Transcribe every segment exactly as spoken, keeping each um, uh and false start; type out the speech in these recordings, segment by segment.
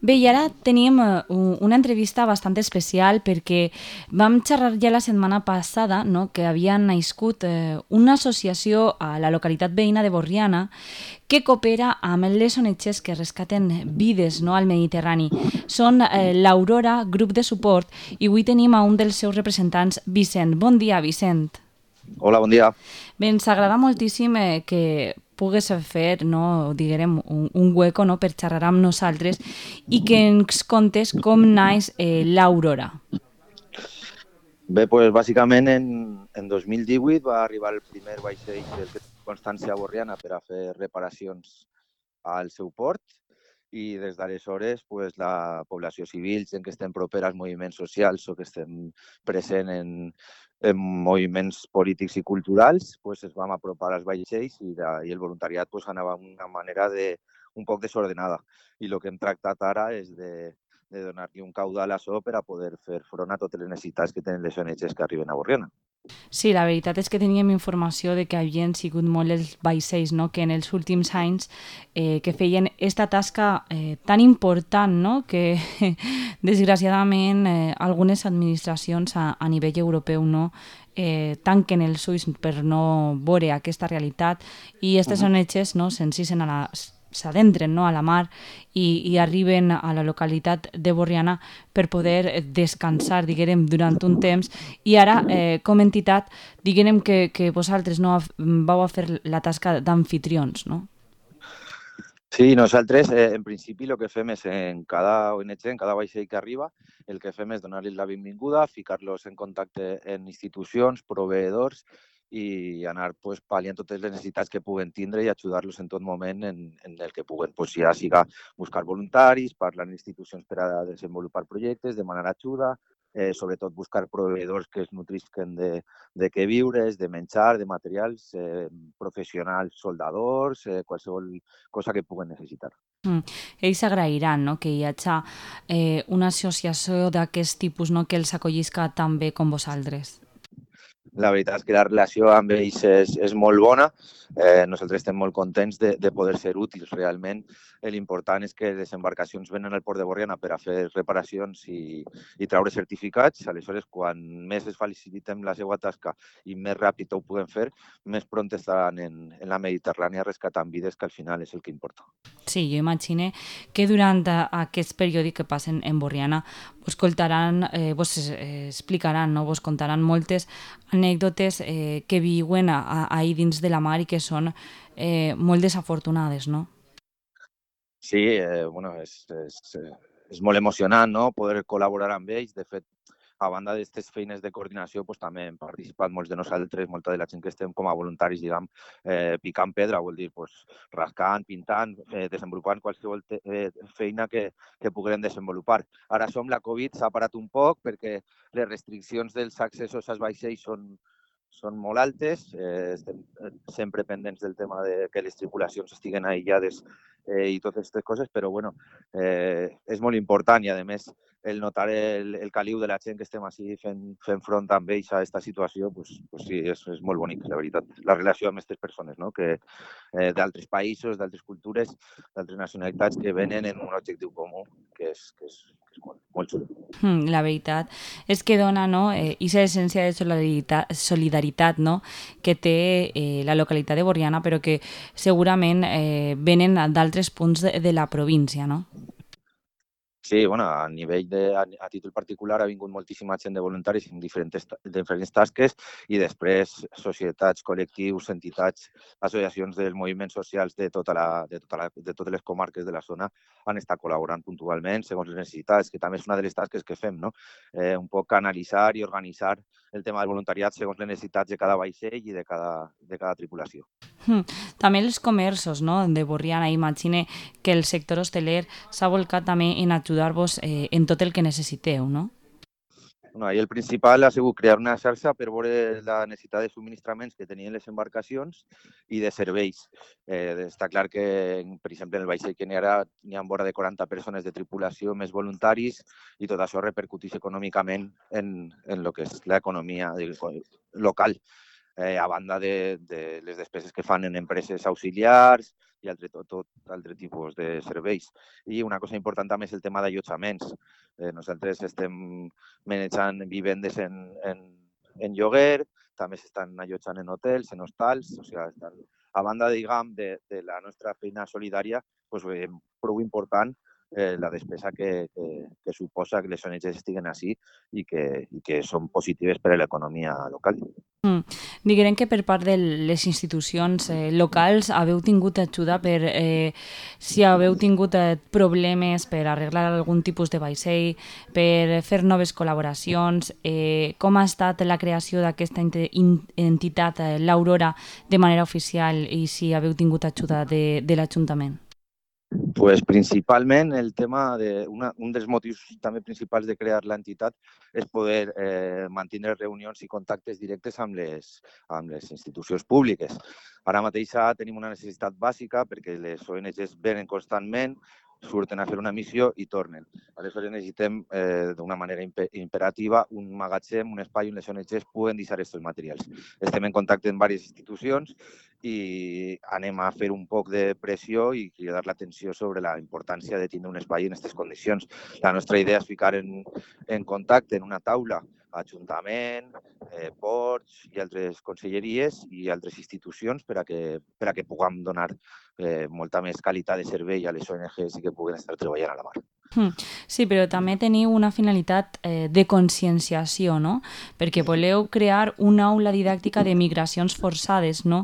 Bé, i ara tenim eh, u- una entrevista bastant especial perquè vam xerrar ja la setmana passada, no?, que havia nascut eh, una associació a la localitat veïna de Borriana que coopera amb les O N Gs que rescaten vides, no?, al Mediterrani. Són eh, l'Aurora, grup de suport, i avui tenim a un dels seus representants, Vicent. Bon dia, Vicent. Hola, bon dia. Bé, ens agrada moltíssim eh, que pugues fer, no, diguem, un, un hueco, no?, per xerrar amb nosaltres i que ens contes com naix eh, l'Aurora. Bé, doncs bàsicament en, en dos mil divuit va arribar el primer vaixell del que Constància Borriana per a fer reparacions al seu port i des d'aleshores pues, la població civil, gent que estem propera als moviments socials o que estem present en, en moviments polítics i culturals, pues, es vam apropar als vaixells i, de, i el voluntariat pues, anava d'una manera de, un poc desordenada. I el que hem tractat ara és de, de donar-li un caudal a això per a poder fer front a totes les necessitats que tenen les O N Gs que arriben a Borriana. Sí, la veritat és que teníem informació de que havien sigut molt els vaixells, no?, que en els últims anys eh, que feien esta tasca eh, tan important, no?, que desgraciadament eh, algunes administracions a, a nivell europeu, no?, eh, tanquen els ulls per no veure aquesta realitat i aquestes Uh O -huh. N Gs, no?, s'encisen a la s'adentren, no?, a la mar i, i arriben a la localitat de Borriana per poder descansar, diguem, durant un temps. I ara, eh, com a entitat, diguem que, que vosaltres no vau a fer la tasca d'anfitrions, no? Sí, nosaltres, eh, en principi, el que fem és en cada O N G, en cada vaixell que arriba, el que fem és donar-los la benvinguda, ficar-los en contacte en institucions, proveïdors i anar pues, pal·liant totes les necessitats que puguen tindre i ajudar-los en tot moment en, en el que puguen. Pues, ja siga buscar voluntaris, parlar amb institucions per a desenvolupar projectes, demanar ajuda, eh, sobretot buscar proveïdors que es nutrisquen de, de què viures, de menjar, de materials, eh, professionals, soldadors, eh, qualsevol cosa que puguen necessitar. Mm. Ells agrairan, no?, que hi hagi eh, una associació d'aquest tipus, no?, que els acollisca tan bé com vosaltres. La veritat és que la relació amb ells és, és molt bona. Eh, nosaltres estem molt contents de, de poder ser útils realment. L'important és que les embarcacions venen al port de Borriana per a fer reparacions i, i treure certificats. Aleshores, quan més es facilitem la seva tasca i més ràpid ho puguem fer, més pront estaran en, en la Mediterrània rescatant vides, que al final és el que importa. Sí, jo imagine que durant a- aquest període que passen en Borriana vos contaran, eh, vos eh, explicaran, no?, vos contaran moltes anècdotes eh, que viuen a, a, ahí dins de la mar i que són eh, molt desafortunades, no? Sí, eh, bueno, és, és, eh, és molt emocionant, no?, poder col·laborar amb ells. De fet, a banda d'aquestes feines de coordinació, pues, també hem participat molts de nosaltres, molta de la gent que estem com a voluntaris, diguem, eh, picant pedra, vol dir, pues, rascant, pintant, eh, desenvolupant qualsevol te, eh, feina que, que puguem desenvolupar. Ara som la Covid, s'ha parat un poc perquè les restriccions dels accessos als vaixells són, són molt altes, eh, estem sempre pendents del tema de que les tripulacions estiguen aïllades eh, i totes aquestes coses, però bueno, eh, és molt important i a més el notar el, el caliu de la gent que estem així fent, fent front amb ells a aquesta situació, pues, pues sí, és, és molt bonic, la veritat. La relació amb aquestes persones, no?, que eh, d'altres països, d'altres cultures, d'altres nacionalitats que venen en un objectiu comú, que és, que és, que és molt, molt xulo. Mm, la veritat és que dona, no?, eh, aquesta essència de solidaritat, solidaritat, no?, que té eh, la localitat de Borriana, però que segurament eh, venen d'altres punts de, de la província, no? Sí, bueno, a nivell de, a, a títol particular ha vingut moltíssima gent de voluntaris en diferents, diferents tasques i després societats, col·lectius, entitats, associacions dels moviments socials de, tota la, de, tota la, de totes les comarques de la zona han estat col·laborant puntualment segons les necessitats, que també és una de les tasques que fem, no? Eh, un poc analitzar i organitzar el tema del voluntariat segons les necessitats de cada vaixell i de cada, de cada tripulació. Mm. També els comerços, no?, de Borriana. Imagine que el sector hosteler s'ha volcat també en ajudar-vos eh, en tot el que necessiteu, no? Bueno, ahí el principal ha sigut crear una xarxa per veure la necessitat de subministraments que tenien les embarcacions i de serveis. Eh, està clar que, per exemple, en el vaixell que n'hi ha, n'hi ha vora de quaranta persones de tripulació més voluntaris i tot això repercuteix econòmicament en, en el que és l'economia local. Eh, a banda de, de les despeses que fan en empreses auxiliars, i altre, tot, tot altre tipus de serveis. I una cosa important també és el tema d'allotjaments. Eh, nosaltres estem manejant vivendes en, en, en lloguer, també s'estan allotjant en hotels, en hostals, o sigui, estan, a banda, diguem, de, de la nostra feina solidària, doncs, eh, prou important eh, la despesa que, que, que suposa que les O N Ges estiguen així i que, i que són positives per a l'economia local. Mm. Diguem que per part de les institucions eh, locals haveu tingut ajuda per eh, si haveu tingut eh, problemes per arreglar algun tipus de vaixell, per fer noves col·laboracions, eh, com ha estat la creació d'aquesta entitat, eh, l'Aurora, de manera oficial i si haveu tingut ajuda de, de l'Ajuntament? Pues principalment el tema de una, un dels motius també principals de crear l'entitat és poder eh, mantenir reunions i contactes directes amb les, amb les institucions públiques. Ara mateix tenim una necessitat bàsica perquè les O N Ges venen constantment, surten a fer una missió i tornen. Aleshores necessitem eh, d'una manera imperativa un magatzem, un espai on les O N Ges puguen deixar aquests materials. Estem en contacte amb diverses institucions i anem a fer un poc de pressió i cridar l'atenció sobre la importància de tenir un espai en aquestes condicions. La nostra idea és ficar en, en contacte en una taula Ajuntament, eh, ports i altres conselleries i altres institucions per a que, per a que puguem donar eh, molta més qualitat de servei a les O N Ges i que puguen estar treballant a la mar. Sí, però també teniu una finalitat eh, de conscienciació, no? Perquè voleu crear una aula didàctica de migracions forçades, no?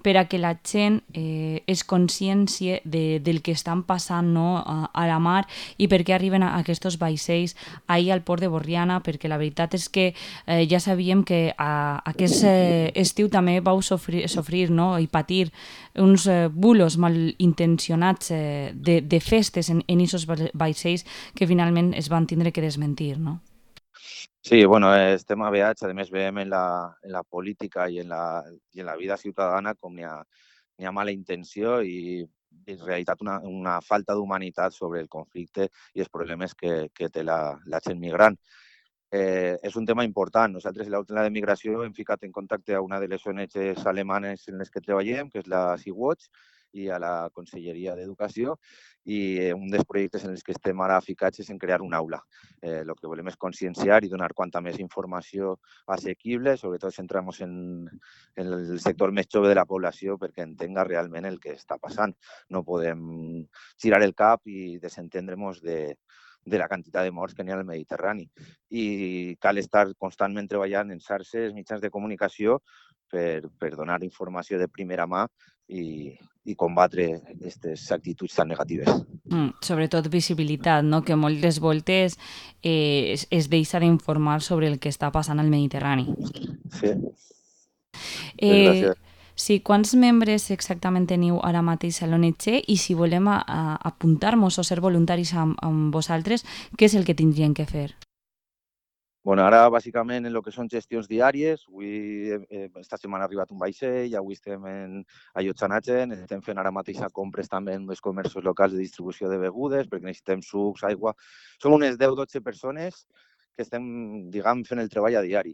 Per a que la gent eh, es consciencie de, del que estan passant, no? a, a la mar i per què arriben a aquests vaixells ahir al port de Borriana, perquè la veritat és que eh, ja sabíem que a, aquest eh, estiu també vau sofrir, sofrir no? i patir uns eh, bulos malintencionats eh, de, de festes en aquests vaixells que finalment es van tindre que desmentir, no? Sí, bueno, estem aveats, a més veiem en la, en la política i en la, i en la vida ciutadana com n'hi ha, n'hi ha mala intenció i en realitat una, una falta d'humanitat sobre el conflicte i els problemes que, que té la, la gent migrant. Eh, és un tema important. Nosaltres, a l'Aula de Migració, hem ficat en contacte a una de les O N Ges alemanes en les que treballem, que és la Sea-Watch, i a la Conselleria d'Educació, i un dels projectes en els que estem ara ficats és en crear una aula. Eh, el que volem és conscienciar i donar quanta més informació assequible, sobretot centrant-nos en, en el sector més jove de la població perquè entenga realment el que està passant. No podem girar el cap i desentendre-nos de, de la quantitat de morts que n'hi ha al Mediterrani. I cal estar constantment treballant en xarxes, mitjans de comunicació per, per donar informació de primera mà i, i combatre aquestes actituds tan negatives. Mm, sobretot visibilitat, no? Que moltes voltes eh, es, es deixa d'informar sobre el que està passant al Mediterrani. Sí. Eh, sí, quants membres exactament teniu ara mateix a l'O N G i si volem a, a apuntar-nos o ser voluntaris amb, amb vosaltres, què és el que tindrien que fer? Bueno, ara, bàsicament, en el que són gestions diàries, avui, eh, esta setmana ha arribat un vaixell, avui estem en allotjant a gent, estem fent ara mateix compres també en els comerços locals de distribució de begudes, perquè necessitem sucs, aigua. Som unes deu o dotze persones que estem, diguem, fent el treball a diari.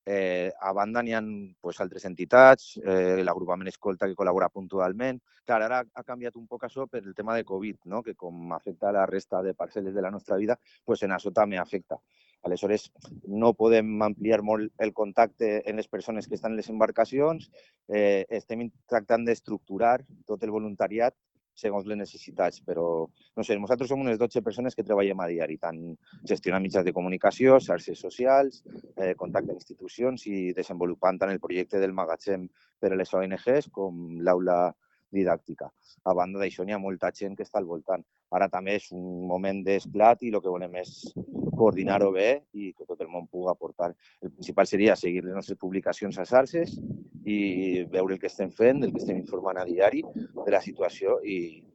Eh, a banda n'hi ha pues, altres entitats, eh, l'agrupament Escolta que col·labora puntualment. Clar, ara ha canviat un poc això per el tema de Covid, no? Que com afecta la resta de parcel·les de la nostra vida, pues en això també afecta. Aleshores, no podem ampliar molt el contacte en les persones que estan en les embarcacions. Eh, estem tractant d'estructurar tot el voluntariat segons les necessitats, però no sé, nosaltres som unes dotze persones que treballem a diari, tant gestionant mitjans de comunicació, xarxes socials, eh, contacte amb institucions i desenvolupant tant el projecte del magatzem per a les O N Ges com l'aula didàctica. A banda d'això, n'hi ha molta gent que està al voltant. Ara també és un moment d'esclat i el que volem és coordinar-ho bé i que tot el món pugui aportar. El principal seria seguir les nostres publicacions a xarxes i veure el que estem fent, el que estem informant a diari de la situació i,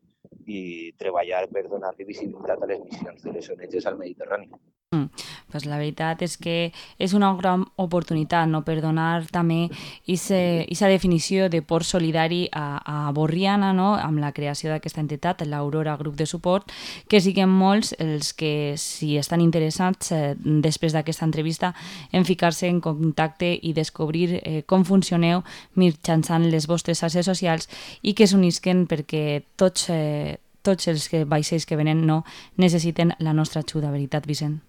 i treballar per donar-li visibilitat a les missions de les O N Ges al Mediterrani. Mm. Pues la veritat és que és una gran oportunitat, no?, per donar també aquesta definició de port solidari a, a Borriana, no?, amb la creació d'aquesta entitat, l'Aurora Grup de Suport, que siguin molts els que, si estan interessats, eh, després d'aquesta entrevista, en ficar-se en contacte i descobrir eh, com funcioneu mitjançant les vostres xarxes socials i que s'unisquen perquè tots, eh, tots els que vaixells que venen no necessiten la nostra ajuda, veritat, Vicent?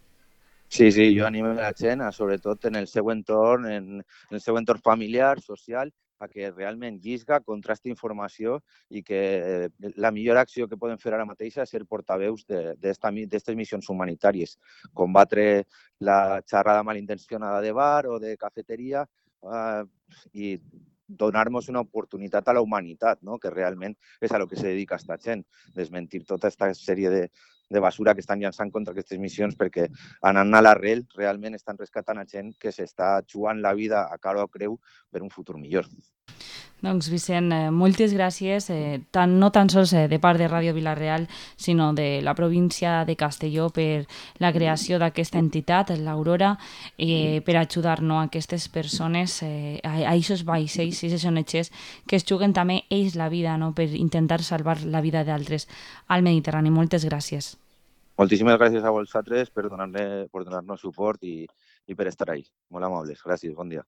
Sí, sí, jo animo la gent, a, sobretot en el seu entorn, en, en el seu entorn familiar, social, a que realment llisga, contrasti informació i que la millor acció que poden fer ara mateix és ser portaveus d'aquestes missions humanitàries. Combatre la xerrada malintencionada de bar o de cafeteria eh, i donar-nos una oportunitat a la humanitat, no?, que realment és a lo que se dedica aquesta gent, desmentir tota aquesta sèrie de, de basura que estan llançant contra aquestes missions, perquè anant a l'arrel realment estan rescatant a gent que s'està jugant la vida a cara o creu per un futur millor. Doncs Vicent, eh, moltes gràcies, eh, tant, no tan sols eh, de part de Ràdio Vila-real, sinó de la província de Castelló per la creació d'aquesta entitat, l'Aurora, eh, per ajudar-nos a aquestes persones, eh, a aquests vaixells, a aquestes O N Ges, que es juguen també ells la vida, no?, per intentar salvar la vida d'altres al Mediterrani. Moltes gràcies. Moltíssimes gràcies a vosaltres per donar-nos suport i, i per estar ahí. Molt amables. Gràcies. Bon dia.